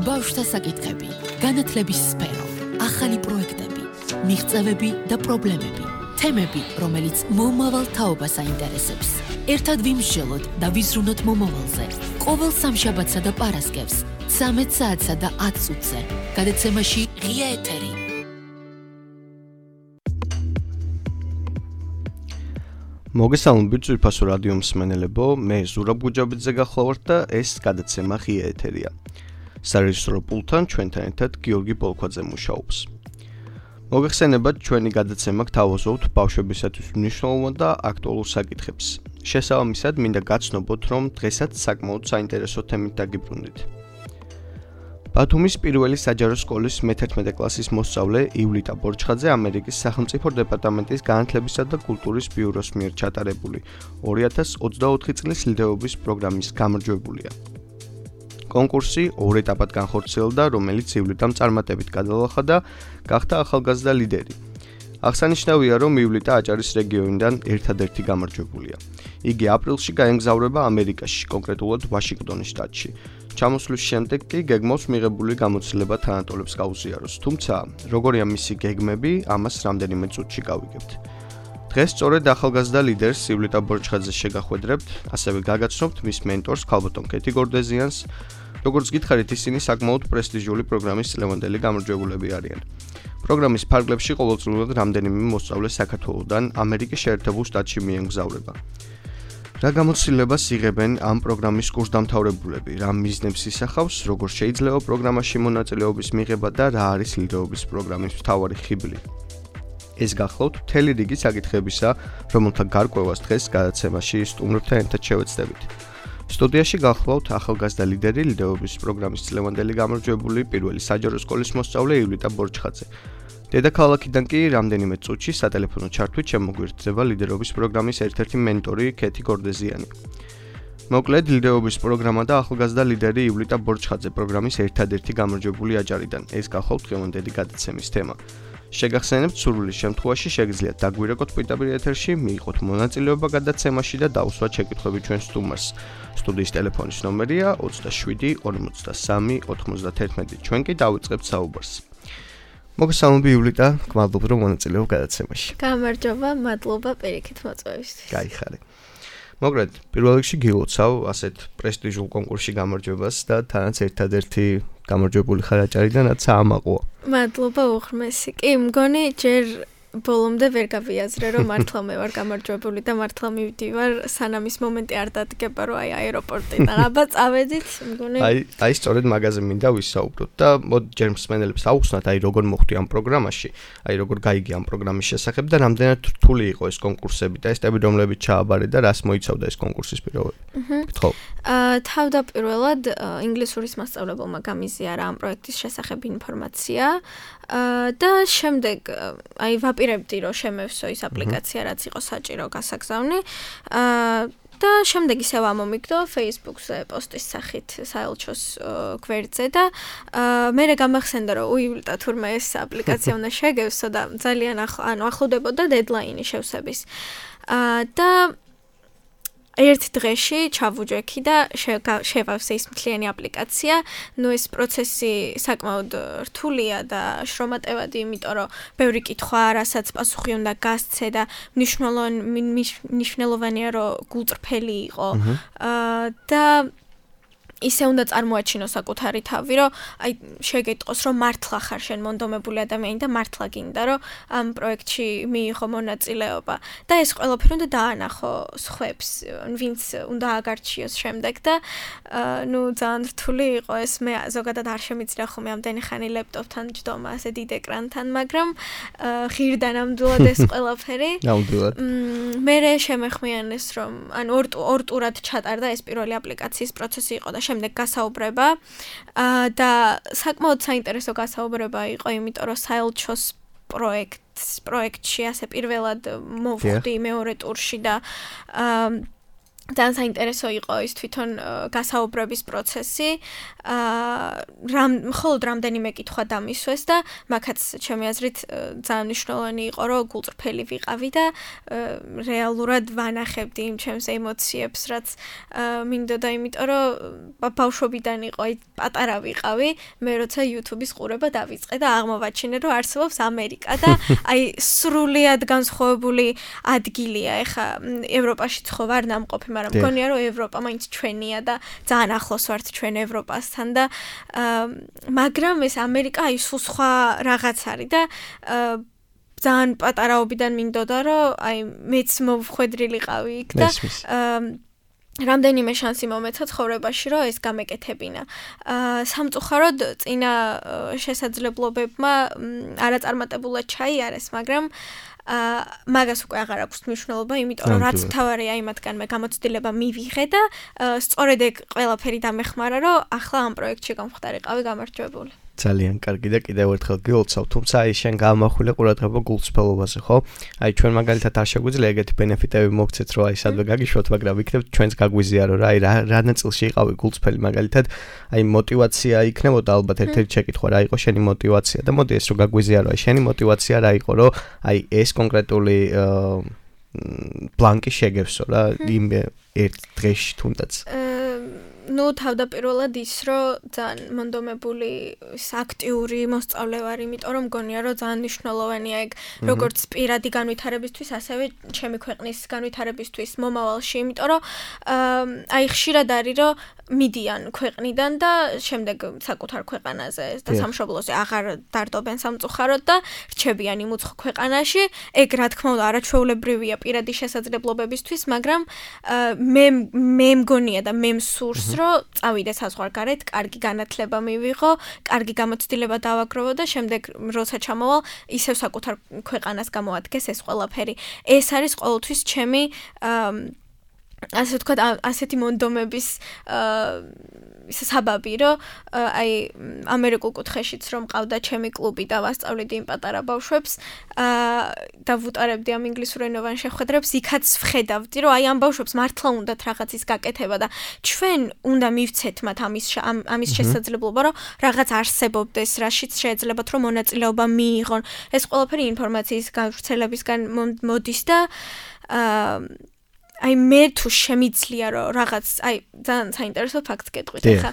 ბავშვთა საკითხები, განათლების სფერო, ახალი პროექტები, მიღწევები და პრობლემები, თემები, რომელიც მომავალ თაობას აინტერესებს. ერთად ვიმსჯელოთ და ვიზრუნოთ მომავალზე. ყოველ სამშაბათსა და პარასკევს, 13 საათსა და 10 წუთზე. გადაცემაში ღია ეთერი. მოგესალმებით ძვირფასო რადიო მსმენელებო, მე ზურაბ გუჯაბიძე გახლავართ და ეს გადაცემა ღია ეთერია. სარეჟისორო პულტთან ჩვენთან ერთად გიორგი პოლქვაძე მუშაობს. მოგეხსენებათ, ჩვენი გადაცემა გთავაზობთ ბავშვებისათვის მნიშვნელოვან და აქტუალურ საკითხებს. შესაბამისად, მინდა გაცნობოთ, რომ დღესაც საკმაოდ საინტერესო თემით დაგიბრუნდით. ბათუმის პირველი საჯარო სკოლის მე-11 კლასის მოსწავლე ივლიტა ბორჩხაძე ამერიკის სახელმწიფო დეპარტამენტის განათლებისა და კულტურის ბიუროს მიერ ჩატარებული 2024 წლის ლიდერობის პროგრამის გამარჯვებულია. კონკურსი ორ ეტაპად განხორციელდა, რომელიც ივლიტამ წარმატებით გადალახა და გახდა ახალგაზრდა ლიდერი. აღსანიშნავია, რომ ივლიტა აჭარის რეგიონიდან ერთადერთი გამარჯვებულია. იგი აპრილში გაემგზავრება ამერიკაში, კონკრეტულად ვაშინგტონის შტატში. ჩამოსვლის შემდეგ კი გეგმავს მიღებული გამოცდილება თანატოლებს გაუზიაროს, თუმცა როგორია მისი გეგმები, ამას რამდენიმე წუთში გავიგებთ. დღეს სწორედ ახალგაზრდა ლიდერს ივლიტა ბორჩხაძეს შეგახვედრებთ, ასევე გაგაცნობთ მის მენტორს ქალბატონ კეთი გორდეზიანს. როგორც გითხარით, ისინი საკმაოდ პრესტიჟული პროგრამის წლევანდელი გამარჯვებულები არიან. პროგრამის ფარგლებში ყოველწლიურად რამდენიმე მოსწავლე საქართველოდან ამერიკის შეერთებულ შტატში მიემგზავრება. რა გამოცდილებას იღებენ ამ პროგრამის კურსდამთავრებულები, რა მიზნებს ისახავს, როგორ შეიძლება პროგრამაში მონაწილეობის მიღება და რა არის ლიდერობის პროგრამის მთავარი ხიბლი. ეს გახლავთ მთელი რიგი საკითხებისა, რომელთა გარკვევას დღეს გადაცემაში სტუმრებთან ერთად შევეცდებით. სტუდიაში გახლავთ ახალგაზრდა ლიდერი ლიდერობის პროგრამის წლევანდელი გამარჯვებული პირველი საჯარო სკოლის მოსწავლე ივლიტა ბორჩხაძე. დედაქალაქიდან კი რამდენიმე წუთში სატელეფონო ჩართვით შემოგვიერთდება ლიდერობის პროგრამის ერთ-ერთი მენტორი კეთი გორდეზიანი. მოკლედ, ლიდერობის პროგრამა და ახალგაზრდა ლიდერი ივლიტა ბორჩხაძე პროგრამის ერთადერთი გამარჯვებული აჭარიდან. ეს გახლავთ დღევანდელი გადაცემის თემა. შეგახსენებთ, სურვილის შემთხვევაში შეგიძლიათ დაგვირეკოთ პირდაპირ ეთერში, მიიღოთ მონაწილეობა გადაცემაში და დაუსვათ შეკითხვები ჩვენ სტუმარს. სტუდიის ტელეფონის ნომერია 27 43 91. ჩვენ კი დავიწყებთ საუბარს. მოგესალმები ივლიტა, გმადლობთ რომ მონაწილეობ გადაცემაში. გამარჯობა, მადლობა პირიქით მოწვევისთვის. გაიხარე. მოგრად, პირველ რიგში გილოცავ ასეთ პრესტიჟულ კონკურსში გამარჯვებას და თანაც ერთადერთი გამარჯვებული ხარ აჭარიდან, რაც აამაყუა. მადლობა უღრმესი. კი, მგონი ჯერ ბოლომდე ვერ გავიაზრე, რომ მართლა მე ვარ გამარჯვებული და მართლა მივდივარ, სანამ ის მომენტი არ დადგება, რომ აეროპორტიდან აბა წავედით, მგონი. აი სწორედ მაგაზე მინდა ვისაუბროთ და მოდი ჯერ მსმენელებს აუხსნათ, როგორ მოხვდი ამ პროგრამაში, როგორ გაიგე ამ პროგრამის შესახებ და რამდენად რთული იყო ეს კონკურსები და ესტები, რომლებიც ჩააბარე და რას მოიცავდა ეს კონკურსის პირობები. გთხოვ. თავდაპირველად ინგლისურის მასწავლებელმა გამიზიარა ამ პროექტის შესახებ ინფორმაცია და შემდეგ ვაპირებდი, რომ შემევსო ის აპლიკაცია, რაც იყო საჭირო გასაგზავნი. და შემდეგ ისევ ამომიგდო Facebook-ზე პოსტის სახით საელჩოს გვერდზე და მერე გამახსენდა, რომ უივლიტა თურმე ეს აპლიკაცია უნდა შეგევსო და ძალიან ახლდებოდა დედლაინი შევსების. და ერთ დღეში ჩავუჯექი და შევავსე ის მთლიანი აპლიკაცია. ნუ ეს პროცესი საკმაოდ რთულია და შრომატევადი, იმიტომ რომ ბევრი კითხვა, რასაც პასუხი უნდა გასცე და მნიშვნელოვანია, რომ გულწრფელი იყო. და ისე უნდა წარმოაჩინო საკუთარი თავი, რომ აი შეგეტყოს, რომ მართლა ხარ შენ მონდომებული ადამიანი და მართლა გინდა, რომ ამ პროექტში მიიღო მონაწილეობა. და ეს ყველაფერი უნდა დაანახო სხვებს, ვინც უნდა აგარჩიოს შემდეგ და ნუ ძალიან რთული იყო ეს. მე ზოგადად არ შემიძლია ხოლმე ამდენი ხანი ლეპტოპთან ჯდომა, ასე დიდ ეკრანთან, მაგრამ ღირდა ნამდვილად ეს ყველაფერი. ნამდვილად. მერე შემეხმიანეს, რომ ორ ტურად ჩატარდა ეს პირველი აპლიკაციის პროცესი იყო და შემდეგ გასაუბრება და საკმაოდ საინტერესო გასაუბრება იყო, იმიტომ რომ საელჩოს პროექტში ასე პირველად მოვხვდი მეორე ტურში და ძალიან საინტერესო იყო ის თვითონ გასაუბრების პროცესი. მხოლოდ რამდენიმე კითხვა დამისვეს და მაგაც ჩემი აზრით ძალიან მნიშვნელოვანი იყო, რომ გულწრფელი ვიყავი და რეალურად ვანახებდი იმ ჩემს ემოციებს, რაც მინდოდა, იმიტომ რომ ბავშვობიდან იყო, პატარა ვიყავი, მე როცა YouTube-ის ყურება დავიწყე და აღმოვაჩინე, რომ არსებობს ამერიკა და სრულიად განსხვავებული ადგილია. ეხა ევროპაში ხო ვარ ნამყოფი, მაგრამ მგონია რომ ევროპა მაინც ჩვენია და ძალიან ახლოს ვართ ჩვენ ევროპასთან და მაგრამ ეს ამერიკა სულ სხვა რაღაც არის და ძალიან პატარაობიდან მინდოდა რომ მეც მოვხვედრილიყავი იქ და რამდენიმე შანსი მომეცა ცხოვრებაში რომ ეს გამეკეთებინა. სამწუხაროდ წინა შესაძლებლობებმა არაწარმატებულად ჩაიარეს, მაგრამ მაგას უკვე აღარ აქვს მნიშვნელობა, იმიტომ რომ რაც თავარია იმათგან მე გამოცდილება მივიღე და სწორედ ეგ ყველაფერი დამეხმარა, რომ ახლა ამ პროექტში გამხდარიყავი გამარჯვებული. ძალიან კარგი და კიდევ ერთხელ გილოცავ, თუმცა შენ გამახვილე ყურადღება გულწრფელობაზე, ხო? ჩვენ მაგალითად არ შეგვიძლია ეგეთი ბენეფიტები მოგცეთ, რომ სადვე გაგიშვათ, მაგრამ იქნებ ჩვენს გაგვიზიარო რა, რა ნაწილში იყავი გულწრფელი, მაგალითად, მოტივაცია იქნებოდა ალბათ ერთ-ერთი შეკითხვა, რა იყო შენი მოტივაცია და მოდი ეს რომ გაგვიზიარო, შენი მოტივაცია რა იყო, რომ ეს კონკრეტული ბლანკი შეგევსო რა, იმ ერთ დღეში თუნდაც. თავდაპირველად ის რომ ძალიან მონდომებული აქტიური მოსწავლე ვარ, იმიტომ რომ მგონია რომ ძალიან მნიშვნელოვანია ეგ როგორც პირადი განვითარებისთვის, ასევე ჩემი ქვეყნის განვითარებისთვის მომავალში, იმიტომ რომ ხშირად არის რომ მიდიან ქვეყნიდან და შემდეგ საკუთარ ქვეყანაზე და სამშობლოზე აღარ დარდობენ სამწუხაროდ და რჩებიან იმ უცხო ქვეყანაში. ეგ რა თქმა უნდა არაჩვეულებრივია პირადი შესაძლებლობებისთვის, მაგრამ მე მგონია და მე მსურს რომ წავიდე საზღვარგარეთ, კარგი განათლება მივიღო, კარგი გამოცდილება დავაგროვო და შემდეგ როცა ჩამოვალ, ისევ საკუთარ ქვეყანას გამოადგეს ეს ყველაფერი. ეს არის ყოველთვის ჩემი ასე ვთქვათ, ასეთი მონდომების საბაბი, რომ ამერიკულ კუთხეშიც რომ მყავდა ჩემი კლუბი და ვასწავლედი იმ პატარა ბავშვებს და ვუტარებდი ამ ინგლისურენოვან შეხვედრებს, იქაც ვხედავდი, რომ ამ ბავშვებს მართლა უნდათ რაღაცის გაკეთება და ჩვენ უნდა მივცეთ მათ ამის შესაძლებლობა, რომ რაღაც არსებობდეს, რაშიც შეეძლებათ, რომ მონაწილეობა მიიღონ. ეს ყველაფერი ინფორმაციის გავრცელებისგან მოდის და მე თუ შემიძლია რომ რაღაც ძალიან საინტერესო ფაქტს გეტყვით ახლა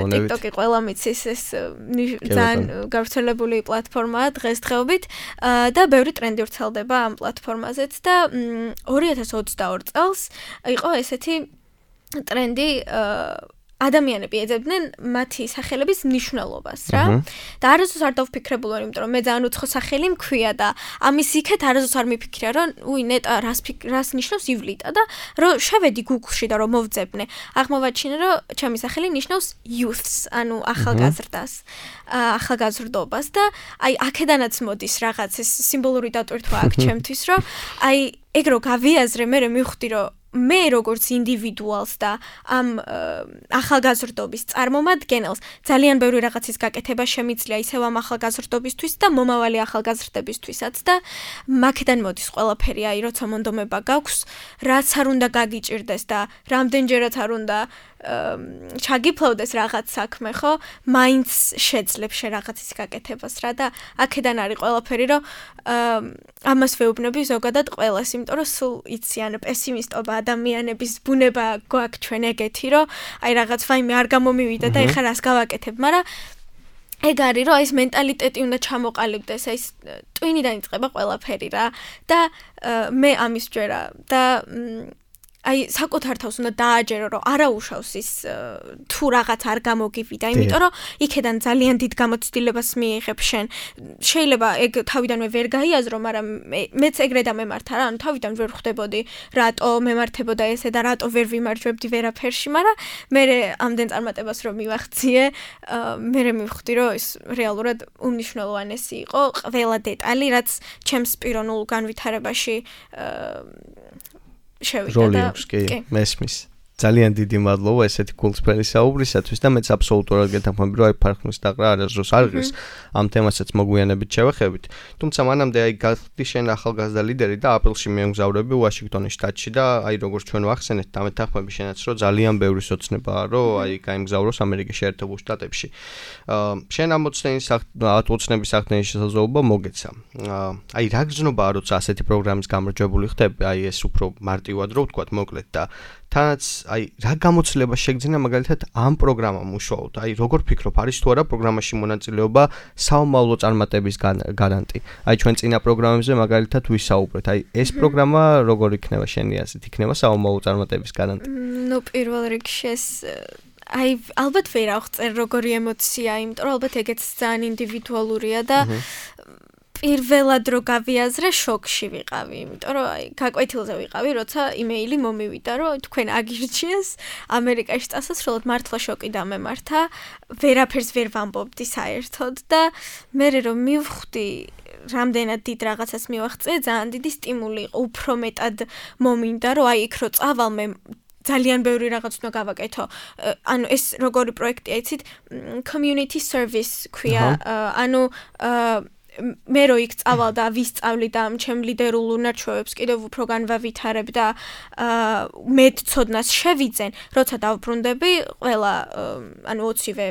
TikTok-ი ყველა მიცის ეს ძალიან გავრცელებული პლატფორმაა დღესდღეობით და ბევრი ტრენდი ვრცელდება ამ პლატფორმაზეც და 2022 წელს იყო ესეთი ტრენდი ადამიანები ეძებდნენ მათი სახელების მნიშვნელობას რა და არასდროს არ დავფიქრებულ ვარ, იმიტომ რომ მე ძალიან უცხო სახელი მქვია და ამის იქეთ არასდროს არ მიფიქრია, რომ ნეტა რას ნიშნავს ივლიტა და რომ შევედი Google-ში და რომ მოვძებნე. აღმოვაჩინე, რომ ჩემი სახელი ნიშნავს youths, ანუ ახალგაზრდას, ახალგაზრდობას და აქედანაც მოდის რაღაც ეს სიმბოლური დატვირთვა აქ ჩემთვის, რომ ეგ რო გავიაზრე, მე მივხვდი, რომ მე როგორც ინდივიდუალს და ამ ახალგაზრდობის წარმომადგენელს ძალიან ბევრი რაღაცის გაკეთება შემიძლია ისევ ამ ახალგაზრდობისთვის და მომავალი ახალგაზრდებისთვისაც და მაქედან მოდის ყველაფერი, როცა მონდომება გაქვს, რაც არ უნდა გაგიჭირდეს და რამდენჯერაც არ უნდა ჩაგიფლავდეს რაღაც საქმე, ხო? მაინც შეძლებს შე რაღაცის გაკეთებას რა და აქედან არის ყველაფერი, რომ ამას ვეუბნები ზოგადად ყველას, იმიტომ რომ სულ იციან პესიმისტობა ადამიანების ბუნება გვაქვს ჩვენ ეგეთი, რომ რაღაც ვაიმე არ გამომივიდა და ეხლა რას გავაკეთებ, მაგრამ ეგ არის, რომ ეს მენტალიტეტი უნდა ჩამოყალიბდეს, ეს ტვინიდან იწყება ყველაფერი რა და მე ამის ჯერა და საკუთარ თავს უნდა დააჯერო, რომ არაუშავს ის თუ რაღაც არ გამოგივიდა, იმიტომ რომ იქედან ძალიან დიდ გამოცდილებას მიიღებ შენ. შეიძლება ეგ თავიდანვე ვერ გაიაზრო, მაგრამ მეც ეგრე დამემართა რა, ანუ თავიდან ვერ ხვდებოდი, რატო მემართებოდა ესე და რატო ვერ ვიმარჯვებდი ვერაფერში, მაგრამ მე ამდენ წარმატებას რომ მივახციე, მე მივხვდი, რომ ეს რეალურად უმნიშვნელოვანესი იყო, ყველა დეტალი, რაც ჩემს პიროვნულ განვითარებაში შევიდა და მესმის. ძალიან დიდი მადლობა ესეთი გულწრფელი საუბრისათვის და მეც აბსოლუტურად გეთანხმები, რომ აი ფარხმის დაყრა არასდროს არ ღირს. ამ თემასაც მოგვიანებით შევეხებით. თუმცა მანამდე აი გახდი შენ ახალგაზრდა ლიდერი და აპრილში მიემგზავრები ვაშინგტონის შტატში და აი როგორც ჩვენ ვახსენეთ და მეთანხმები შენაც რომ ძალიან ბევრი სოცნებაა რომ აი გაიმგზავროს ამერიკის შეერთებულ შტატებში. შენ ამ ოცნების ახდენის შესაძლებლობა მოგეცა. აი რა გრძნობაა როცა ასეთი პროგრამის გამარჯვებული ხდები, აი ეს უფრო მარტივად რო ვთქვათ მოკლედ და თანაც აი რა გამოცდილება შეგძინა მაგალითად ამ პროგრამამ უშუალოდ აი როგორ ფიქრობ არის თუ არა პროგრამაში მონაწილეობა საომავლო წარმატების გარანტი აი ჩვენ წინა პროგრამებზე მაგალითად ვისაუბრეთ აი ეს პროგრამა როგორ იქნება შენი აზრით იქნება საომავლო წარმატების გარანტი ნუ პირველ რიგში ეს აი ალბათ ვერ აღწერ როგორი ემოცია იმიტომ რომ ალბათ ეგეც ძალიან ინდივიდუალურია და პირველად რო გავიაზრე შოკში ვიყავი, იმიტომ რომ აი გაკვეთილზე ვიყავი, როცა იმეილი მომივიდა, რომ თქვენ აგირჩიეს ამერიკაში წასასვლელად მართლა შოკი დამემართა, ვერაფერს ვერ ვამბობდი საერთოდ და მე რომ მივხვდი რამდენად დიდ რაღაცას მივაღწია, ძალიან დიდი სტიმული იყო, უფრო მეტად მომინდა, რომ აი იქ რო წავალ მე ძალიან ბევრი რაღაც უნდა გავაკეთო. ანუ ეს როგორი პროექტია, იცით, community service ქვია, ანუ მე რო იქ წავალ და ვისწავლი და ჩემ ლიდერულ უნარჩვევებს კიდევ უფრო განვავითარებ და მეტ ცოდნას შევიძენ, როცა დავბრუნდები, ყველა ანუ 20-ვე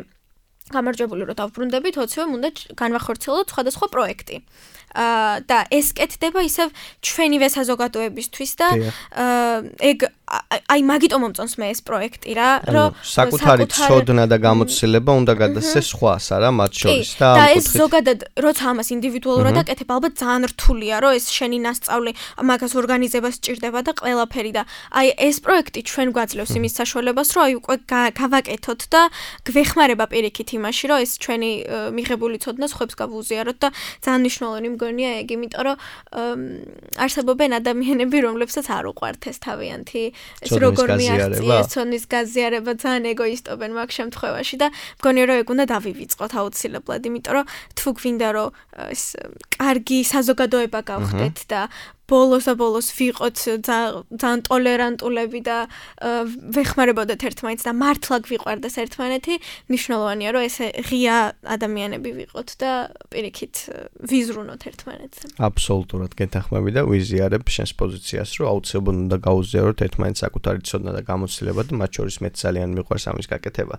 გამარჯვებული რო დავბრუნდებით, 20-ვე უნდა განვახორციელოთ სხვადასხვა პროექტი. და ეს კეთდება ისევ ჩვენივე საზოგადოებისთვის და ეგ აი მაგიტომ მომწონს მე ეს პროექტი რა, რომ საკუთარი ცოდნა და გამოცდილება უნდა გადასცეს სხვას არა მათ შორის და და ეს ზოგადად როცა ამას ინდივიდუალურად აკეთებ, ალბათ ძალიან რთულია, რომ ეს შენი ნასწავლი მაგას ორგანიზებას სჭირდება და ყველაფერი და აი ეს პროექტი ჩვენ გვაძლევს იმის საშუალებას, რომ აი უკვე გავაკეთოთ და გვეხმარება პირიქით იმაში, რომ ეს ჩვენი მიღებული ცოდნა სხვებს გავუზიაროთ და ძალიან მნიშვნელოვანი მგონია ეგ, იმიტომ რომ არსებობენ ადამიანები, რომლებსაც არ უყვართ ეს თავიანთი ეს როგორ მიაღწიეს ცოდნის გაზიარება, ძალიან ეგოისტობენ მაგ შემთხვევაში და მგონია რომ ეგ უნდა დავივიწყოთ აუცილებლად, იმიტომ რომ თუ გვინდა რომ ეს კარგი საზოგადოება გავხდეთ და ბოლოს ვიყოთ ძალიან ტოლერანტულები და ვეხმარებოდეთ ერთმანეთს და მართლა გვიყვარდეს ერთმანეთი, მნიშვნელოვანია რომ ეს ღია ადამიანები ვიყოთ და პირიქით ვიზრუნოთ ერთმანეთს. აბსოლუტურად გეთანხმები და ვიზიარებ შენს პოზიციას, რომ აუცილებლად უნდა გაუზიაროთ ერთმანეთს საკუთარი ცოდნა და გამოცდილება და მათ შორის მეც ძალიან მიყვარს ამის გაკეთება.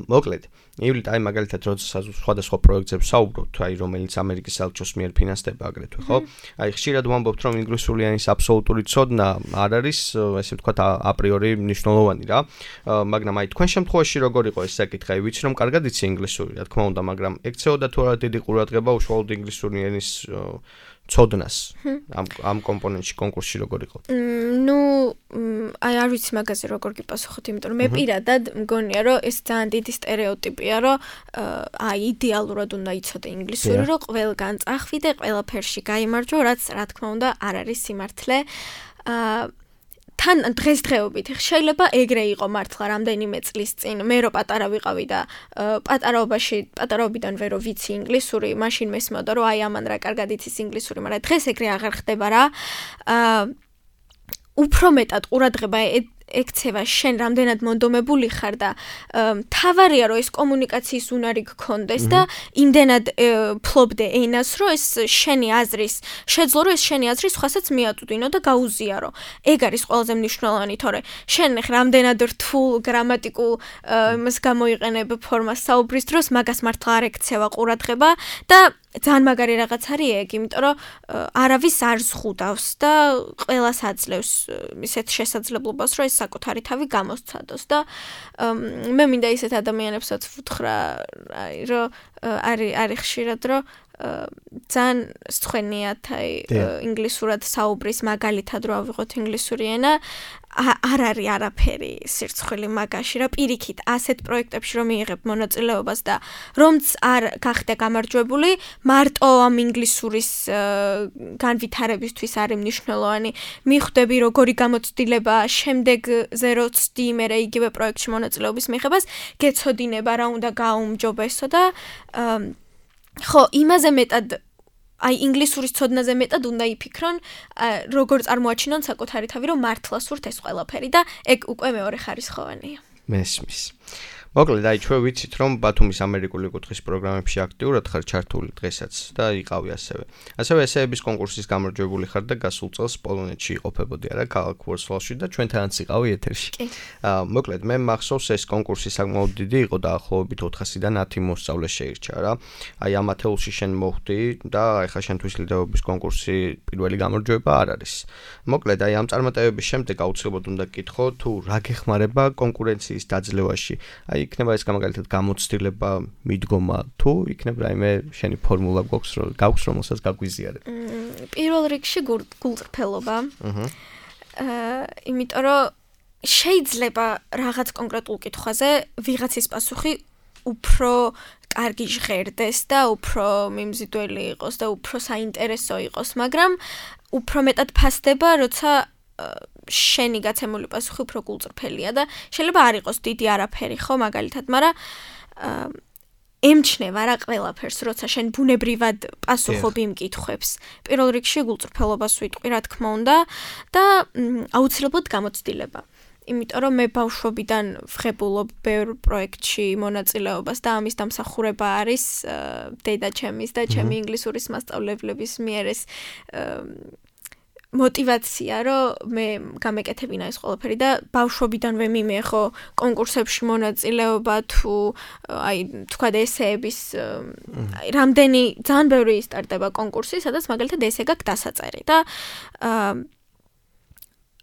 მოკლედ, ივლით აი მაგალითად როცა სხვადასხვა პროექტებზე ვსაუბრობთ, აი რომელიც ამერიკის საელჩოს მიერ ფინანსდება აგრეთვე, ხო? აი ხშირად ვამბობთ, რომ ინგლისური ენის აბსოლუტური ცოდნა არ არის, ესე ვთქვათ, აპრიორი მნიშვნელოვანი რა. მაგრამ აი თქვენ შემთხვევაში როგორ იყო ეს საკითხი? აი ვიცი რომ კარგად იცი ინგლისური, რა თქმა უნდა, მაგრამ ექცეოდა თუ არა დიდი ყურადღება უშუალოდ ინგლისური ენის ცოდნას ამ კომპონენტში კონკურსში როგორ იყო? ნუ აი არ ვიცი მაგაზე როგორ გიპასუხოთ, იმიტომ რომ მე პირადად მგონია რომ ეს ძალიან დიდი სტერეოტიპია, რომ აი იდეალურად უნდა იცოდე ინგლისური, რომ ყველგან წახვიდე, ყველაფერში გაიმარჯვო, რაც რა თქმა უნდა არ არის სიმართლე. თან დღესდღეობით შეიძლება ეგრე იყო მართლა რამდენიმე წლის წინ მე რო პატარა ვიყავი და პატარაობიდან ვერო ვიცი ინგლისური, მაშინ მესმოდა რომ აი ამან რა კარგად იცის ინგლისური, მაგრამ დღეს ეგრე აღარ ხდება რა. უფრო მეტად ყურადღება ექცევა შენ რამდენად მონდომებული ხარ და თავარია რომ ეს კომუნიკაციის უნარი გქონდეს და იმდენად ფლობდე ენას, რომ ეს შენი აზრის შეძლო, რომ ეს შენი აზრი სხვასაც მიაწვდინო და გაუზიარო. ეგ არის ყველაზე მნიშვნელოვანი, თორე შენ რამდენად რთულ გრამატიკულ იმას გამოიყენებ ფორმას საუბრის დროს, მაგას მართლა არ ექცევა ყურადღება და ძალიან მაგარი რაღაც არის ეგ, იმიტომ რომ არავის არ ზღუდავს და ყველას აძლევს ისეთ შესაძლებლობას, რომ ეს საკუთარი თავი გამოსცადოს და მე მინდა ისეთ ადამიანებსაც ვუთხრა, რომ არის ხშირად რომ ძალიან სწვენიათ აი ინგლისურად საუბრის მაგალითად რო ავიღოთ ინგლისური ენა არ არის არაფერი სირცხვილი მაგაში რა პირიქით ასეთ პროექტებში რომ მიიღებ მონაწილეობას და რომც არ გახდე გამარჯვებული მარტო ამ ინგლისურის განვითარებისთვის არის მნიშვნელოვანი მიხვდები როგორი გამოცდილება შემდეგზე რო ცდი მე იგივე პროექტში მონაწილეობის მიღებას გეცოდინება რა უნდა გაუმჯობესო და ხო იმაზე მეტად აი ინგლისურის ცოდნაზე მეტად უნდა იფიქრონ, როგორ წარმოაჩინონ საკუთარი თავი, რომ მართლა სურთ ეს ყველაფერი და ეგ უკვე მეორე ხარისხოვანია. მესმის. მოკლედ, აი ჩვენ ვიცით, რომ ბათუმის ამერიკული კუთხის პროგრამებში აქტიურად ხარ ჩართული დღესაც და იყავი ასევე. ასევე ესეების კონკურსის გამარჯვებული ხარ და გასულ წელს პოლონეთში იყოფებოდი არა, ქალაქ ვორცლავში და ჩვენთანაც იყავი ეთერში. მოკლედ, მე მახსოვს ეს კონკურსი საკმაოდ დიდი იყო და ახლობებით 400-დან 10 მოსწავლე შეირჩა რა. აი ამ ათეულში შენ მოხვდი და ეხლა შენთვის ლიდერობის კონკურსი პირველი გამარჯვება არ არის. მოკლედ, აი ამ წარმატებების შემდეგ აუცილებლად უნდა გკითხო, თუ რა გეხმარება კონკურენციის დაძლევაში. იქნება ეს გამაგალითად გამოცდილება, მიდგომა, თუ იქნება რაიმე შენი ფორმულა გაქვს, რომელსაც გაგვიზიარებ. პირველ რიგში გულწრფელობა. იმიტომ რომ შეიძლება რაღაც კონკრეტულ კითხვაზე ვიღაცის პასუხი უფრო კარგი ჟღერდეს და უფრო მიმზიდველი იყოს და უფრო საინტერესო იყოს, მაგრამ უფრო მეტად ფასდება, როცა შენი გაცემული პასუხი უფრო გულწრფელია და შეიძლება არ იყოს დიდი არაფერი, ხო, მაგალითად, მაგრამ ემჩნევა რა ყველაფერს, როცა შენ ბუნებრივად პასუხობ იმ კითხვებს. პირველ რიგში გულწრფელობას ვიტყვი, რა თქმა უნდა, და აუცილებლად გამოცდილება. იმიტომ რომ მე ბავშვობიდან ვღებულობ ბევრ პროექტში მონაწილეობას და ამის დამსახურება არის დედაჩემის და ჩემი ინგლისურის მასწავლებლების მიერ ეს мотивация, რომ მე გამეკეთებინა ეს ყველაფერი და ბავშვობიდანვე მიმეღო კონკურსებში მონაწილეობა თუ აი თქვა ესეების რამდენი ძალიან ბევრი სტარტება კონკურსი, სადაც მაგალითად ესე გაქვს დასაწერი და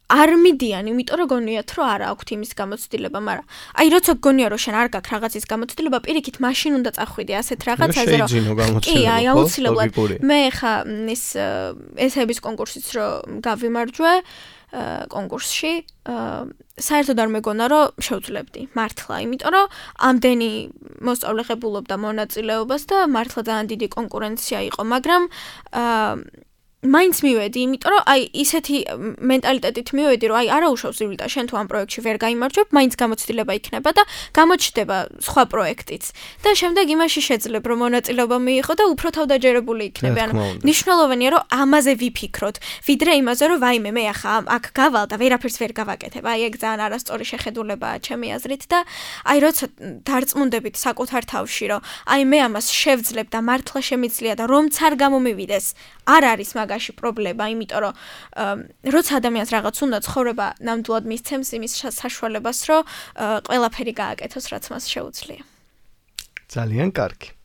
არ მიდიან, იმიტომ რომ გონიათ, რომ არა აქვთ იმის გამოცდილება, მაგრამ აი როცა გონია, რომ შენ არ გაქვს რაღაცის გამოცდილება, პირიქით მაშინ უნდა წახვიდე ასეთ რაღაცაზე, რომ კი, აი აუცილებლად მე ხა ესეების კონკურსიც რომ გავიმარჯვე კონკურსში, საერთოდ არ მეგონა, რომ შევძლებდი მართლა, იმიტომ რომ ამდენი მოსწავლე ღებულობდა მონაწილეობას და მართლა ძალიან დიდი კონკურენცია იყო, მაგრამ მაინც მივედი, იმიტომ რომ აი ისეთი მენტალიტეტით მივედი, რომ აი არაუშავს ირვიდა, შენ თუ ამ პროექტში ვერ გაიმარჯვებ, მაინც გამოცდილება იქნება და გამოჩნდება სხვა პროექტიც. და შემდეგ იმაში შეძლებ, რომ მონაწილეობა მიიღო და უფრო თავდაჯერებული იქნები. ანუ მნიშვნელოვანია, რომ ამაზე ვიფიქროთ, ვიდრე იმაზე, რომ ვაიმე, მე ახლა აქ გავალ და ვერაფერს ვერ გავაკეთებ. აი ეგ ძალიან არასწორი შეხედულებაა ჩემი აზრით და აი როცა დარწმუნდებით საკუთარ თავში, რომ აი მე ამას შევძლებ და მართლა შემიძლია და რომც არ გამომივიდეს, არ არის მაგაში პრობლემა, იმიტომ რომ როცა ადამიანს რაღაც უნდა ცხოვრება ნამდვილად მისცემს იმის საშუალებას, რომ ყველაფერი გააკეთოს, რაც მას შეუძლია. ძალიან კარგი.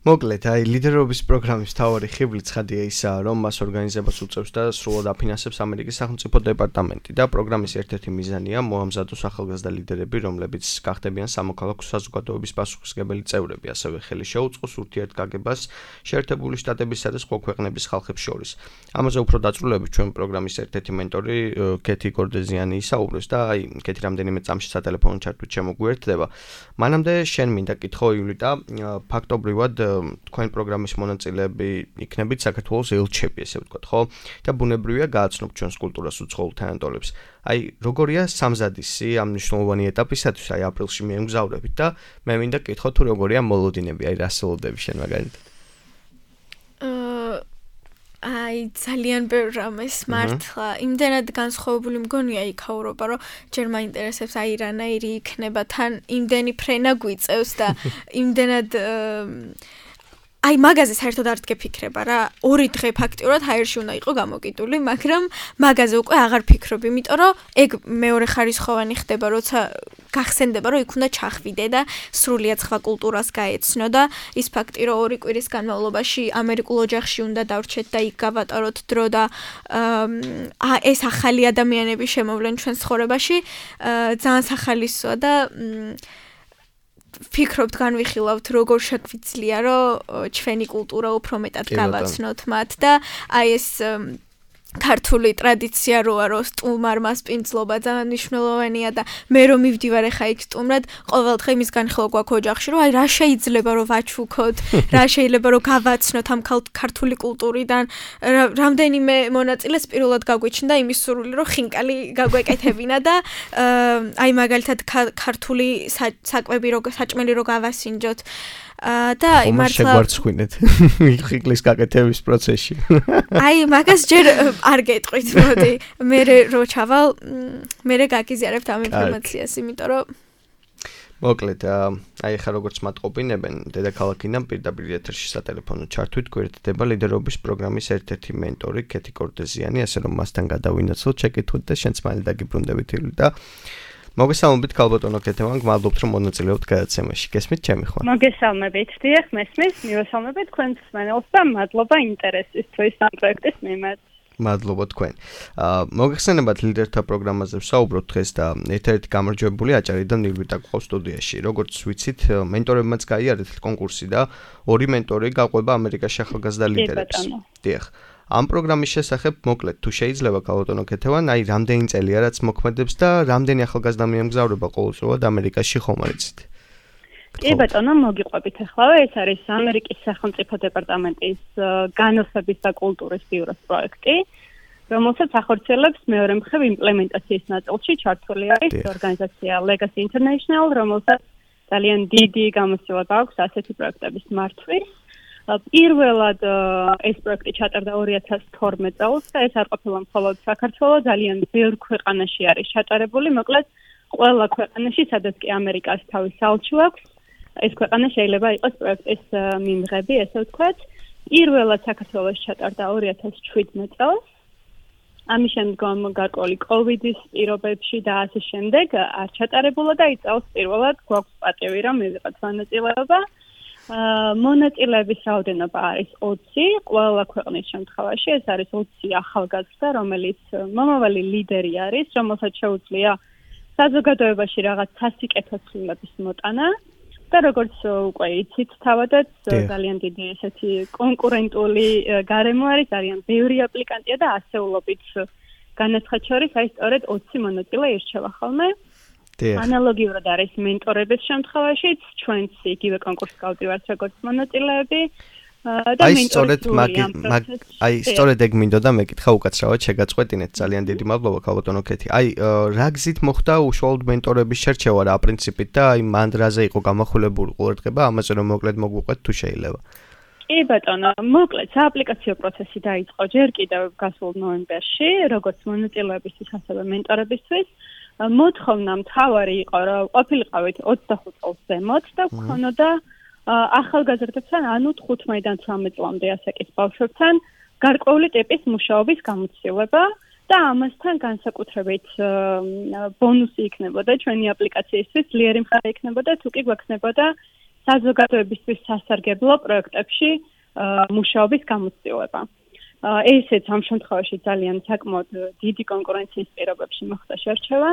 მოკლედ, აი ლიდერობის პროგრამის მთავარი ხიბლი ცხადია ისაა, რომ მას ორგანიზებას უწევს და სრულად აფინანსებს ამერიკის სახელმწიფო დეპარტამენტი და პროგრამის ერთ-ერთი მიზანია მოამზადოს ახალგაზრდა ლიდერები, რომლებიც გახდებიან სამოქალაქო საზოგადოების პასუხისმგებელი წევრები, ასევე ხელი შეუწყოს ურთიერთგაგებას შეერთებული შტატებისა და სხვა ქვეყნების ხალხებს შორის. ამაზე უფრო დაწვრილებით ჩვენ პროგრამის ერთ-ერთი მენტორი კეთი გორდეზიანი ისაუბრებს და აი კეთი რამდენიმე წამში სატელეფონო ჩართვით შემოგვიერთდება. მანამდე შენ მინდა კითხო ივლიტა, ფაქტობრივად თქვენ პროგრამის მონაწილეები იქნებით საქართველოს ელჩები, ესე ვთქვათ, ხო? და ბუნებრივია გააცნობ ჩვენს კულტურას უცხოურ თანატოლებს. აი, როგორია სამზადისი ამ მნიშვნელოვანი ეტაპისათვის, აი აპრილში მიემგზავრებით და მე მინდა კითხო თუ როგორია მოლოდინები, აი რას ველოდები შენ მაგალითად? აი ძალიან ბევრ რამეს მართლა იმდენად განსხვავებული მგონია იქაურობა, რომ ჯერ მაინტერესებს აი რანაირი იქნება თან იმდენი ფრენა გვიწევს და იმდენად აი მაგაზე საერთოდ არ გეფიქრება რა. 2 დღე ფაქტიურად ჰაერში უნდა იყო გამოკიდული, მაგრამ მაგაზე უკვე აღარ ფიქრობ, იმიტომ რომ ეგ მეორე ხარისხოვანი ხდება, როცა გახსენდება, რომ იქ უნდა ჩახვიდე და სრულიად სხვა კულტურას გაეცნო და ის ფაქტი, რომ 2 კვირის განმავლობაში ამერიკულ ოჯახში უნდა დავრჩეთ და იქ გავატაროთ დრო და ეს ახალი ადამიანები შემოვლენ ჩვენ ცხოვრებაში, ძალიან სახალისოა და ფიქრობთ, განვიხილავთ, როგორ შეგვიძლია, რომ ჩვენი კულტურა უფრო მეტად გავაცნოთ მათ და აი ეს ქართული ტრადიცია როა, რომ სტუმარ მასპინძლობა ძალიან მნიშვნელოვანია და მე რომ მივდივარ ახლა იქ სტუმრად, ყოველდღე იმის განხილვა გვაქვს ოჯახში, რომ აი რა შეიძლება რომ ვაჩუქოთ, რა შეიძლება რომ გავაცნოთ ამ ქართული კულტურიდან, რამდენიმე მონაწილეს პირველად გაგვიჩნდა იმის სურვილი, რომ ხინკალი გაგვეკეთებინა და აი მაგალითად ქართული საკვები რო საჭმელი რო გავასინჯოთ. და აი მართლა შეგვარცხინეთ ხიკლის გაკეთების პროცესში. აი მაგას ჯერ არ გეტყვით, მოდი. მე რო ჩავალ, მე გაგიზიარებთ ამ ინფორმაციას, იმიტომ რომ მოკლედ, აი ხა როგორც მატყობინებენ, დედაქალაქიდან პირდაპირ ეთერში სატელეფონო ჩართვით გვერდდება ლიდერობის პროგრამის ერთ-ერთი მენტორი კეთი კორდეზიანი, ასე რომ მასთან გადავინაცვლოთ, შეკითხვით და შენც მალე დაგიბრუნდებით და მოგესალმებით ქალბატონო კეთევან, გმადლობთ რომ მონაწილეობთ გადაცემაში. გესმით ჩემი ხო? მოგესალმებით, დიახ, მესმის, მივესალმებით თქვენს მსმენელს და მადლობა ინტერესისთვის ამ პროექტის მიმართ. მადლობა თქვენ. მოგეხსენებათ ლიდერთა პროგრამაზე ვსაუბრობთ დღეს და ერთ-ერთი გამარჯვებული აჭარიდან ნირვიტა გვყავს სტუდიაში. როგორც ვიცით, მენტორებმაც გაიარეთ კონკურსი და ორი მენტორი გაყვება ამერიკაში ახალგაზრდა ლიდერებს. დიახ. ამ პროგრამის შესახებ მოკლედ თუ შეიძლება ქალბატონო კეთევან, აი რამდენი წელია რაც მოქმედებს და რამდენი ახალგაზრდა მიემგზავრება ყოველწლიურად ამერიკაში ხომ არ იცით? კი ბატონო, მოგიყვებით ახლა. ეს არის ამერიკის სახელმწიფო დეპარტამენტის განათლების და კულტურის ბიუროს პროექტი, რომელსაც ახორციელებს მეორე მხრივ იმპლემენტაციის ნაწილში ჩართული არის ორგანიზაცია Legacy International, რომელსაც ძალიან დიდი გამოცდილება აქვს ასეთი პროექტების მართვის. პირველად ეს პროექტი ჩატარდა 2012 წელს და ეს არ ყოფილა მხოლოდ საქართველოს, ძალიან ბევრ ქვეყანაში არის ჩატარებული, მოკლედ ყველა ქვეყანაში, სადაც კი ამერიკას თავის სალჩო აქვს. ეს ქვეყანა შეიძლება იყოს პროექტის მიმღები, ესე ვთქვათ. პირველად საქართველოში ჩატარდა 2017 წელს. ამის შემდგომ გარკვეული კოვიდის პირობებში და ასე შემდეგ არ ჩატარებულა და იწევს პირველად გვაქვს პატივი რომ მივიღოთ მონაწილეობა. მონაწილეების რაოდენობა არის 20, ყველა ქვეყნის შემთხვევაში ეს არის 20 ახალგაზრდა, რომელიც მომავალი ლიდერი არის, რომელსაც შეუძლია საზოგადოებაში რაღაც სასიკეთო ცვლილების მოტანა. და როგორც უკვე იცით, თავადაც ძალიან დიდი ესეთი კონკურენტული გარემო არის, ძალიან ბევრი აპლიკანტია და ასეულობით განაცხად შორის აი სწორედ 20 მონაწილე ირჩევა ხოლმე. ანალოგიურად არის მენტორების შემთხვევაშიც, ჩვენც იგივე კონკურსს გავდივართ როგორც მონაწილეები. აი სწორედ ეგ მინდოდა მეკითხა უკაცრავად შეგაწყვეტინეთ ძალიან დიდი მადლობა ქალბატონო კეთი. აი რა გზით მოხდა უშუალოდ მენტორების შერჩევა რა პრინციპით და აი მანდრაზე იყო გამახვილებული ყურადღება ამაზე რომ მოკლედ მოგვიყვეთ თუ შეიძლება. კი ბატონო, მოკლედ სააპლიკაციო პროცესი დაიწყო ჯერ კიდევ გასულ ნოემბერში, როგორც მონაწილეებისთვის ასევე მენტორებისთვის. მოთხოვნა მთავარი იყო რომ ყოფილიყავით 25 წელს ზემოთ და გქონოდა ახალგაზრდებთან, ანუ 15-დან 18 წლამდე ასაკის ბავშვებთან გარკვეული ტიპის მუშაობის გამოცდილება და ამასთან განსაკუთრებით ბონუსი იქნებოდა ჩვენი აპლიკაციისთვის, ძლიერი მხარე იქნებოდა თუ კი გვექნებოდა საზოგადოებისთვის სასარგებლო პროექტებში მუშაობის გამოცდილება. ესეც ამ შემთხვევაში ძალიან საკმაოდ დიდი კონკურენციის პირობებში მოხდა შერჩევა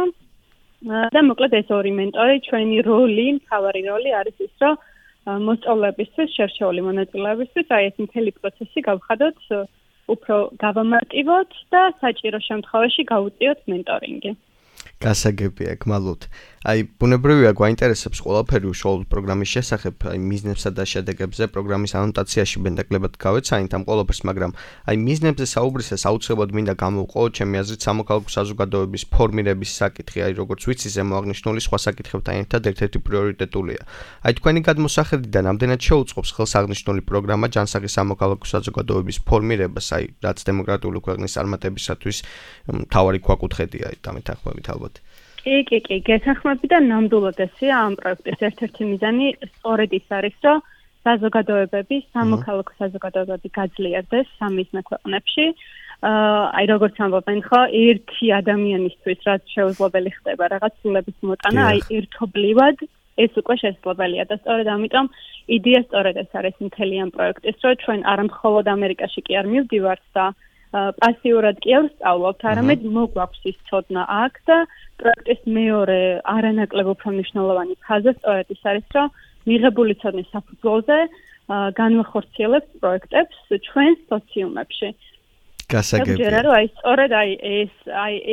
და მოკლედ ეს ორი მენტორი ჩვენი როლი, მთავარი როლი არის ის, რომ მოსწავლეებისთვის, შერჩეული მონაწილეებისთვის, აი ეს მთელი პროცესი გავხადოთ, უფრო გავამარტივოთ და საჭირო შემთხვევაში გავუწიოთ მენტორინგი. გასაგებია, გმადლობთ. აი ბუნებრივია გვაინტერესებს ყველაფერი უშუალოდ პროგრამის შესახებ, აი მიზნებსა და შედეგებზე პროგრამის ანოტაციაში ბენდაკლებად გავეცანით ამ ყველაფერს, მაგრამ აი მიზნებზე საუბრისას აუცილებლად მინდა გამოვყო ჩემი აზრით სამოქალაქო საზოგადოების ფორმირების საკითხი, აი როგორც ვიცი ზემო აღნიშნული სხვა საკითხებთან ერთად ერთ-ერთი პრიორიტეტულია. აი თქვენი გადმოსახედიდან ამდენად შეუწყობს ხელს აღნიშნული პროგრამა ჯანსაღი სამოქალაქო საზოგადოების ფორმირებას, აი რაც დემოკრატიული ქვეყნის წარმატებისათვის მთავარი ქვაკუთხედია, აი დამეთანხმებით ალბათ. კი, გეთანხმები და ნამდვილად ესეა ამ პროექტის ერთ-ერთი მიზანი სწორედ ის არის, რომ საზოგადოებები, სამოქალაქო საზოგადოებები გაძლიერდეს სამიზნე ქვეყნებში. აი როგორც ამბობენ ხო, ერთი ადამიანისთვის რაც შეუძლებელი ხდება რაღაც ცვლილების მოტანა, აი ერთობლივად ეს უკვე შესაძლებელია და სწორედ ამიტომ იდეა სწორედ ეს არის მთელი ამ პროექტის, რომ ჩვენ არა მხოლოდ ამერიკაში კი არ მივდივართ და პასიურად კი არ ვსწავლობთ, არამედ მოგვაქვს ის ცოდნა აქ და პროექტის მეორე არანაკლებ უფრო მნიშვნელოვანი ფაზა სწორედ ის არის, რომ მიღებული ცოდნის საფუძველზე განვახორციელებთ პროექტებს ჩვენ სოციუმებში. გასაგებია. რომ აი სწორედ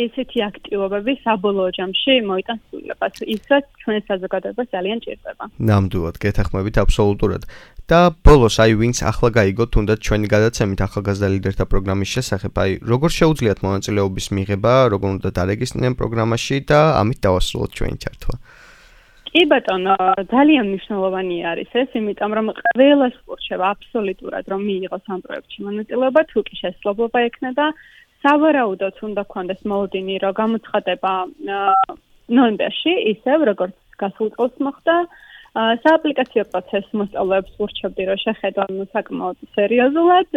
ესეთი აქტივობები საბოლოო ჯამში მოიტანს სრულებას, ისაც ჩვენ საზოგადოებას ძალიან ჭირდება. ნამდვილად, გეთანხმებით აბსოლუტურად. და ბოლოს აი ვინც ახლა გაიგო თუნდაც ჩვენი გადაცემით ახალგაზრდა ლიდერთა პროგრამის შესახებ, აი როგორ შეუძლიათ მონაწილეობის მიღება, როგორ უნდა დარეგისტრირდნენ პროგრამაში და ამით დავასრულოთ ჩვენი ჩართვა. კი ბატონო, ძალიან მნიშვნელოვანი არის ეს, იმიტომ რომ ყველას ურჩევა აბსოლუტურად რომ მიიღოს ამ პროექტში მონაწილეობა, თუ კი შესაძლებლობა ექნება, სავარაუდოდ უნდა გქონდეს მოლოდინი, რომ გამოცხადება ნოემბერში, ისევ როგორც გასულ წელს მოხდა. სააპლიკაციო პროცესს მოსწავლეებს ურჩევდი, რომ შეხედონ საკმაოდ სერიოზულად,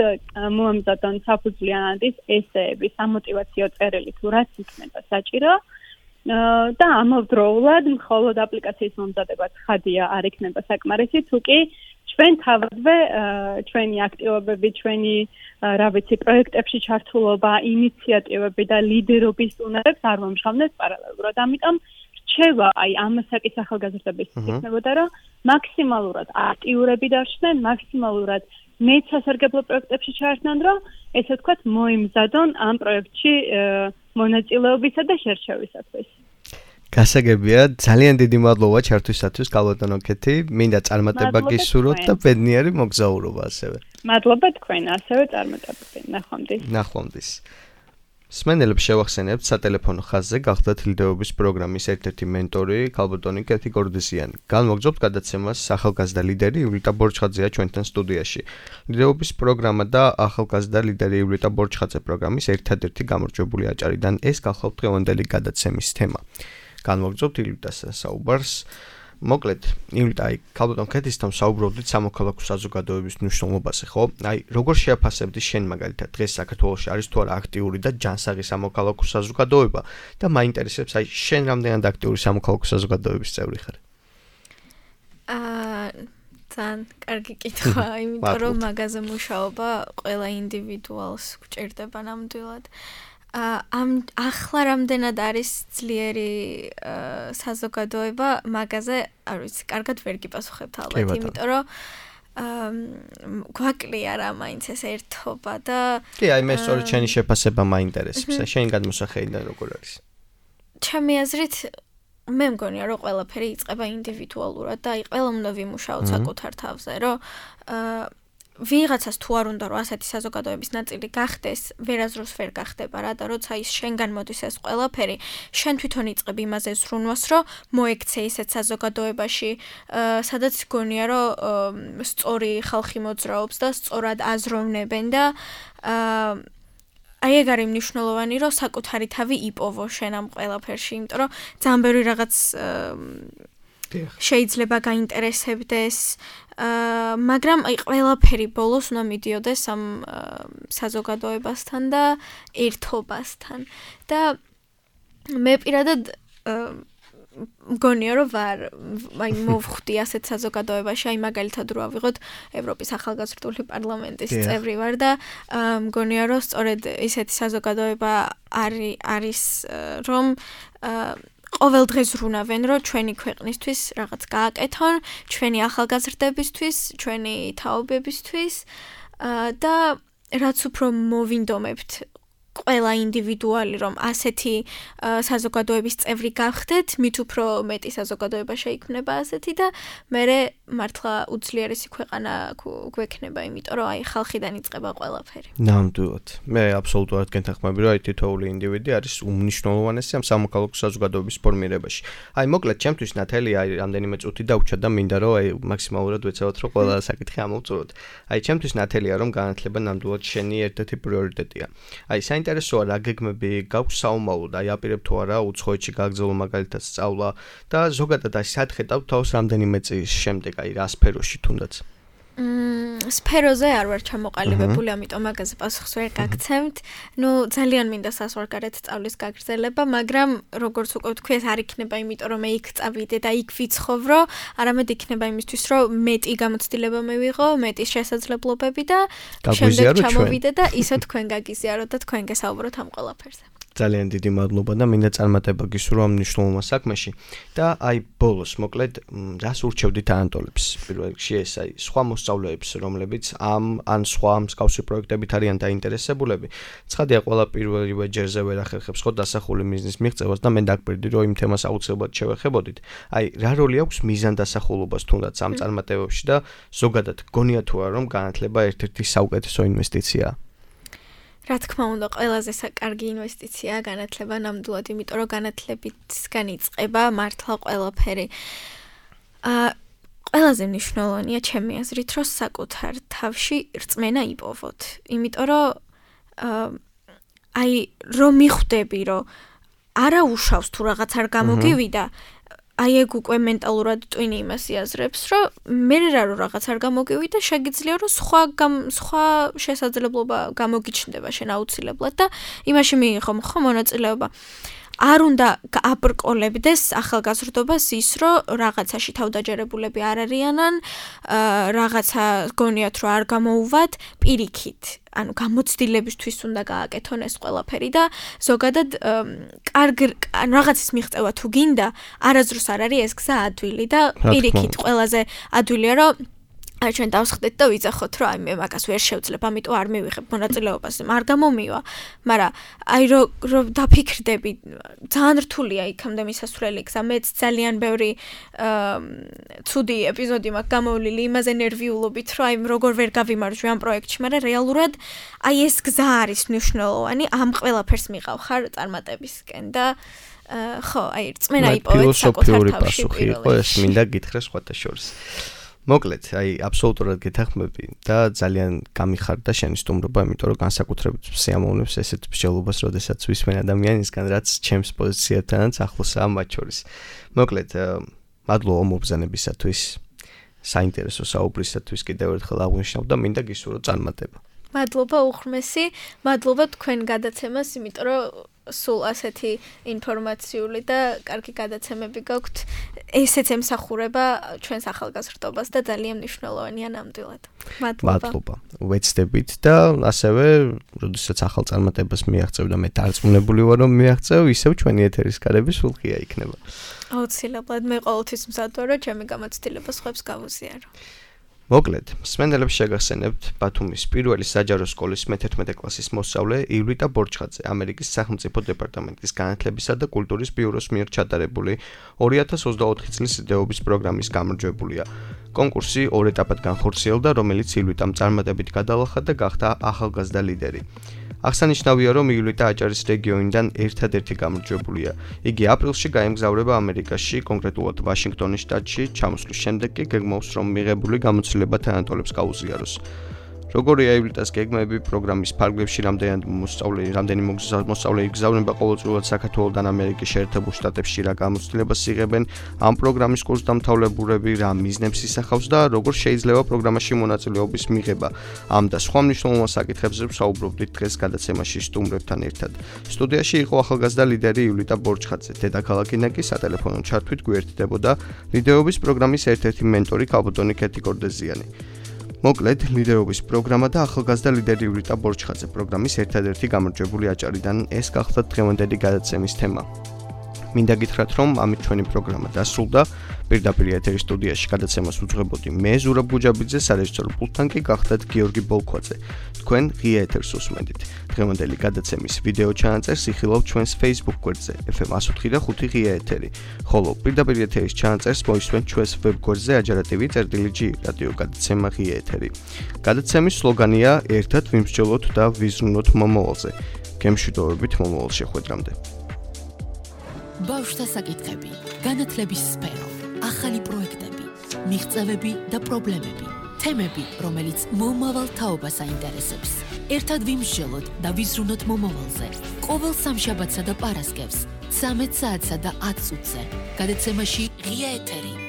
მოამზადონ საფუძვლიანადის ესეები, სამოტივაციო წერილი, თუ რაც იქნება საჭირო. და ამავდროულად მხოლოდ აპლიკაციის მომზადება ცხადია არ იქნება საკმარისი, თუ კი ჩვენ თავადვე ჩვენი აქტივობები, ჩვენი რა ვიცი, პროექტებში ჩართულობა, ინიციატივები და ლიდერობის უნარებს არ მომშრალდეს პარალელურად. ამიტომ რჩევა აი ამ საკითხის ახალგაზრდების იქნებოდა, რომ მაქსიმალურად აქტიურები დარჩნენ, მაქსიმალურად მეცასარგებლო პროექტებში ჩაერთნენ, რომ ესე ვთქვათ, მოემზადონ ამ პროექტში მონაწილეობისა და შერჩევისათვის. გასაგებია, ძალიან დიდი მადლობა ჩართვისათვის, კალბატონო კეთი. მინდა წარმატება გისურვოთ და ბედნიერი მოგზაურობა ასევე. მადლობა თქვენ, ასევე წარმატებები. ნახვამდის. მსმენელებს შევახსენებთ სატელეფონო ხაზზე გახლდათ ლიდერობის პროგრამის ერთ-ერთი მენტორი, კალბატონი კეთი გორდიზიანი. განმოგზაურთ გადაცემას ახალგაზრდა ლიდერი ივლიტა ბორჩხაძეა ჩვენთან სტუდიაში. ლიდერობის პროგრამა და ახალგაზრდა ლიდერი ივლიტა ბორჩხაძე პროგრამის ერთადერთი გამარჯვებული აჭარიდან ეს გახლავთ დღევანდელი გადაცემის თემა. განმოგზაურთ ივლიტას საუბარს. მოკლედ, ივლიტა, კალბატონ კეთისთან საუბრობდით სამოქალაქო საზოგადოების მნიშვნელობაზე, ხო? როგორ შეაფასებდი შენ მაგალითად დღეს საქართველოში არის თუ არა აქტიური და ჯანსაღი სამოქალაქო საზოგადოება და მაინტერესებს შენ რამდენად აქტიური სამოქალაქო საზოგადოების წევრი ხარ? ძალიან კარგი კითხვა, იმიტომ რომ მაგაზე მუშაობა ყველა ინდივიდუალს გვჭირდება ნამდვილად. ახლა რამდენად არის ძლიერი საზოგადოება, მაგაზე არ ვიცი, კარგად ვერ გიპასუხებთ ალბათ, იმიტომ რომ გვაკლია რა მაინც ეს ერთობა და კი, აი მე სწორედ შენი შეფასება მაინტერესებს, შენი გადმოსახედიდან როგორ არის? ჩემი აზრით მე მგონია რომ ყველაფერი იწყება ინდივიდუალურად და აი ყველა უნდა ვიმუშაოთ საკუთარ თავზე, რომ ვიღაცას თუ არ უნდა რომ ასეთი საზოგადოების ნაწილი გახდეს, ვერაზროს ვერ გახდება რა და როცა ის შენგან მოდის ეს ყველაფერი, შენ თვითონ იწყებ იმაზე ზრუნვას, რომ მოექცე ისეთ საზოგადოებაში, სადაც გონია რომ სწორი ხალხი მოძრაობს და სწორად აზროვნებენ და აი ეგ არის მნიშვნელოვანი, რომ საკუთარი თავი იპოვო შენ ამ ყველაფერში, იმიტომ რომ ძალიან ბევრი რაღაც შეიძლება გაინტერესებდეს, მაგრამ აი ყველაფერი ბოლოს უნდა მიდიოდეს ამ საზოგადოებასთან და ერთობასთან და მე პირადად მგონია რომ აი მოვხვდი ასეთ საზოგადოებაში, აი მაგალითად რო ავიღოთ ევროპის ახალგაზრდული პარლამენტის წევრი ვარ და მგონია რომ სწორედ ისეთი საზოგადოება არის რომ ყოველ დღეს ზრუნავენ, რომ ჩვენი ქვეყნისთვის რაღაც გააკეთონ, ჩვენი ახალგაზრდებისთვის, ჩვენი თაობებისთვის და რაც უფრო მოვინდომებთ ყველა ინდივიდუალი რომ ასეთი საზოგადოების წევრი გავხდეთ, მით უფრო მეტი საზოგადოება შეიქმნება ასეთი და მერე მართლა უძლიერესი ქვეყანა გვექნება, იმიტომ რომ აი ხალხიდან იწყება ყველაფერი. ნამდვილად. მე აბსოლუტურად გეთანხმები, რომ აი თითოეული ინდივიდი არის უმნიშვნელოვანესი ამ სამოქალაქო საზოგადოების ფორმირებაში. აი მოკლედ, ჩემთვის ნათელი აი რამდენიმე წუთი დაუჩა და მინდა რომ აი მაქსიმალურად ვეცადოთ რომ ყველა საკითხი ამოვწუროთ. აი ჩემთვის ნათელია რომ განათლება ნამდვილად შენი ერთ-ერთი პრიორიტეტია. აი საინტერესოა რა გეგმები გაქვს საომავლოდ, აი აპირებ თუ არა უცხოეთში გაგრძელო მაგალითად სწავლა და ზოგადად აი სად ხედავ თავს რამდენიმე წლის შემდეგ აი რა სფეროში თუნდაც? სფეროზე არ ვარ ჩამოყალიბებული, ამიტომ მაგაზე პასუხს ვერ გაგცემთ. ნუ ძალიან მინდა საზღვარგარეთ სწავლის გაგრძელება, მაგრამ როგორც უკვე ვთქვი, ეს არ იქნება იმიტომ რომ მე იქ წავიდე და იქ ვიცხოვრო, არამედ იქნება იმისთვის, რომ მეტი გამოცდილება მივიღო, მეტი შესაძლებლობები და შემდეგ ჩამოვიდე და ისე თქვენ გაგიზიაროთ და თქვენ გესაუბროთ ამ ყველაფერზე. ძალიან დიდი მადლობა და მინდა წარმატება გისურვო ამ მნიშვნელოვან საქმეში და აი ბოლოს მოკლედ რას ურჩევდით ანტოლებს პირველ რიგში ეს აი სხვა მოსწავლეებს რომლებიც ან სხვა მსგავსი პროექტებით არიან დაინტერესებულები ცხადია ყველა პირველივე ჯერზე ვერ ახერხებს ხო დასახული მიზნის მიღწევას და მე დაგკვირდი რომ იმ თემას აუცილებლად შევეხებოდით აი რა როლი აქვს მიზანდასახულობას თუნდაც ამ წარმატებებში და ზოგადად გონია თუ არა რომ განათლება ერთ-ერთი საუკეთესო ინვესტიციაა რა თქმა უნდა, ყველაზე კარგი ინვესტიციაა განათლება ნამდვილად, იმიტომ რომ განათლებისგან იწყება მართლა ყველაფერი. ყველაზე მნიშვნელოვანია ჩემი აზრით, რომ საკუთარ თავში რწმენა იპოვოთ. იმიტომ რომ რომ მიხვდები, რომ არა უშავს თუ რაღაც არ გამოგივიდა, ეგ უკვე მენტალურად ტვინი იმას იაზრებს, რომ მე რომ რაღაც არ გამოგივიდა, შეგიძლია რომ სხვა შესაძლებლობა გამოგიჩნდება შენ აუცილებლად და იმაში მიიღო ხო მონაწილეობა. არ უნდა აბრკოლებდეს ახალგაზრდობას ის, რომ რაღაცაში თავდაჯერებულები არ არიანან, რაღაცა გონიათ, რომ არ გამოუვათ პირიქით. ანუ გამოცდილებისთვის უნდა გააკეთონ ეს ყველაფერი და ზოგადად რაღაცის მიღწევა თუ გინდა, არასდროს არ არის ეს გზა ადვილი და პირიქით ყველაზე ადვილია, რომ ჩვენ დავსხდეთ და ვიძახოთ, რომ მე მაგას ვერ შევძლებ, ამიტომ არ მივიღებ მონაწილეობას, არ გამომივა, მაგრამ რომ დაფიქრდები, ძალიან რთულია იქამდე მისასვლელი გზა, მეც ძალიან ბევრი ცუდი ეპიზოდი მაქვს გამოვლილი იმაზე ნერვიულობით, რომ როგორ ვერ გავიმარჯვე ამ პროექტში, მაგრამ რეალურად ეს გზა არის მნიშვნელოვანი, ამ ყველაფერს მიყავ ხარ წარმატებისკენ და ხო, რწმენა იპოვეთ საკუთარ თავში პირველ ეს მინდა გითხრა სხვათა შორის. მოკლედ, აბსოლუტურად გეთანხმები და ძალიან გამიხარდა შენი სტუმრობა, იმიტომ რომ განსაკუთრებით სიამოვნებს ესეთ მსჯელობას, როდესაც ვისმენ ადამიანისგან, რაც ჩემს პოზიციათანაც ახლოსაა მათ შორის. მოკლედ, მადლობა მობრძანებისათვის, საინტერესო საუბრისათვის კიდევ ერთხელ აღვნიშნავ და მინდა გისურვო წარმატება. მადლობა უღრმესი, მადლობა თქვენ გადაცემას, იმიტომ რომ სულ ასეთი ინფორმაციული და კარგი გადაცემები გაქვთ. ესეც ემსახურება ჩვენს ახალგაზრდობას და ძალიან მნიშვნელოვანია ნამდვილად. მადლობა. ვეცდებით და ასევე, როდესაც ახალ წარმატებას მიაღწევ და მე დარწმუნებული ვარ, რომ მიაღწევ, ისევ ჩვენი ეთერის კარები სულ ღია იქნება. აუცილებლად, მე ყოველთვის მზად ვარ, რომ ჩემი გამოცდილება სხვებს გავუზიარო. მოკლედ, მსმენელებს შეგახსენებთ ბათუმის პირველი საჯარო სკოლის მე-11 კლასის მოსწავლე ივლიტა ბორჩხაძე, ამერიკის სახელმწიფო დეპარტამენტის განათლებისა და კულტურის ბიუროს მიერ ჩატარებული 2024 წლის იდეობის პროგრამის გამარჯვებულია. კონკურსი 2 ეტაპად განხორციელდა, რომელიც ივლიტამ წარმატებით გადალახა და გახდა ახალგაზრდა ლიდერი. აღსანიშნავია, რომ ივლიტა აჭარის რეგიონიდან ერთადერთი გამარჯვებულია. იგი აპრილში გაემგზავრება ამერიკაში, კონკრეტულად ვაშინგტონის შტატში, ჩამოსვლის შემდეგ კი გეგმავს, რომ მიღებული გამოცდილება თანატოლებს გაუზიაროს. როგორია ივლიტას გეგმები პროგრამის ფარგლებში რამდენი მოსწავლე იგზავნება ყოველწლიურად საქართველოდან ამერიკის შეერთებულ შტატებში, რა გამოცდილებას იღებენ ამ პროგრამის კურსდამთავრებულები, რა მიზნებს ისახავს და როგორ შეიძლება პროგრამაში მონაწილეობის მიღება. ამ და სხვა მნიშვნელოვან საკითხებზე ვსაუბრობდით დღეს გადაცემაში სტუმრებთან ერთად. სტუდიაში იყო ახალგაზრდა ლიდერი ივლიტა ბორჩხაძე, დედაქალაქიდან კი სატელეფონო ჩართვით გვერდდებოდა ლიდერობის პროგრამის ერთ-ერთი მენტორი ქალბატონი კეთი კორდეზიანი. მოკლედ, ლიდერობის პროგრამა და ახალგაზრდა ლიდერი ივლიტა ბორჩხაძე პროგრამის ერთადერთი გამარჯვებული აჭარიდან ეს გახლდათ დღევანდელი გადაცემის თემა. მინდა გითხრათ, რომ ამით ჩვენი პროგრამა დასრულდა. პირდაპირ ეთერის სტუდიაში გადაცემას უძღვებოდი მე ზურაბ გუჯაბიძე, სარეჟისორო პულტთან კი გახლდათ გიორგი ბოლქვაძე. თქვენ ღია ეთერს უსმენთ. დღევანდელი გადაცემის ვიდეო ჩანაწერს იხილავთ ჩვენს Facebook გვერდზე FM105.5 ღია ეთერი, ხოლო პირდაპირ ეთერის ჩანაწერს მოისმენთ ჩვენს ვებ გვერდზე ajarativi.gr რადიო გადაცემა ღია ეთერი. გადაცემის სლოგანია ერთად ვიმსჯელოთ და ვიზრუნოთ მომავალზე. გემშვიდობებით მომავალ შეხვედრამდე. ბავშვთა საკითხები, განათლების სფერო, ახალი პროექტები, მიღწევები და პრობლემები, თემები, რომელიც მომავალ თაობას აინტერესებს. ერთად ვიმსჯელოთ და ვიზრუნოთ მომავალზე. ყოველ სამშაბათსა და პარასკევს 13 საათსა და 10 წუთზე. გადაცემაში ღია ეთერი.